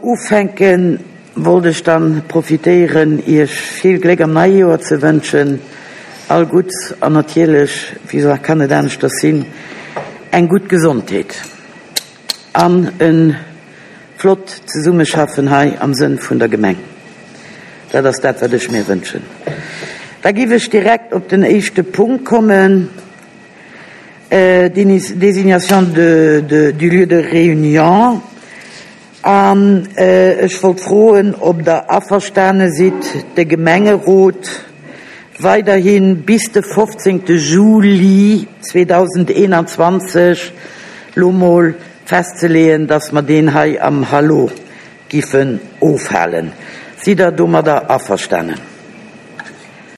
Ufänken, wollt ech dann profitéieren Iech vill Gléck am neie Joer ze wënschen, all Gutts an natierlech, wéi kann et aneschters sinn, eng gutt Gesondheet an e flott Zesummeschaffen hei am Sënn vun der Gemeng. Dat ass dat wat ech mir wënschen. Da giff ech direkt op den éischte Punkt kommen, Désignation du lieu de réunion. An ech wollt froen, ob Der averstane sidd, de Gemengerot weiderhi bis de 15. Juli 2021 lo mol festzeleeën, dass mer deen hei am Hallo giffen ofhalen. Sidd Der domadder averstanen?